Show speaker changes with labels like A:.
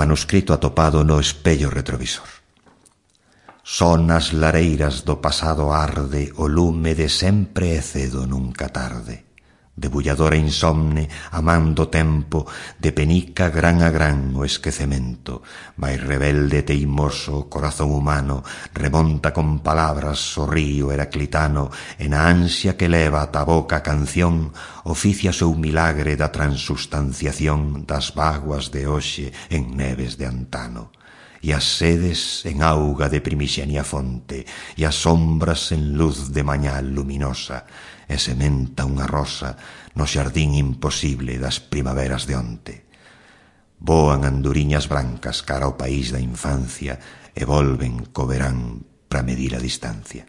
A: Manuscrito atopado no espello retrovisor. Só nas lareiras do pasado arde o lume de sempre e cedo nunca tarde. Debulladora insomne, amando tempo, de penica gran a gran o esquecemento, vai rebelde e teimoso o corazón humano, remonta con palabras o río heraclitano, e na ansia que leva ata a boca a canción, oficia seu milagre da transustanciación das vaguas de hoxe en neves de antano. E as sedes en auga de primixenia fonte, e as sombras en luz de mañá luminosa, e sementa unha rosa no xardín imposible das primaveras de onte. Voan anduriñas blancas cara ao país da infancia e volven co verán pra medir a distancia.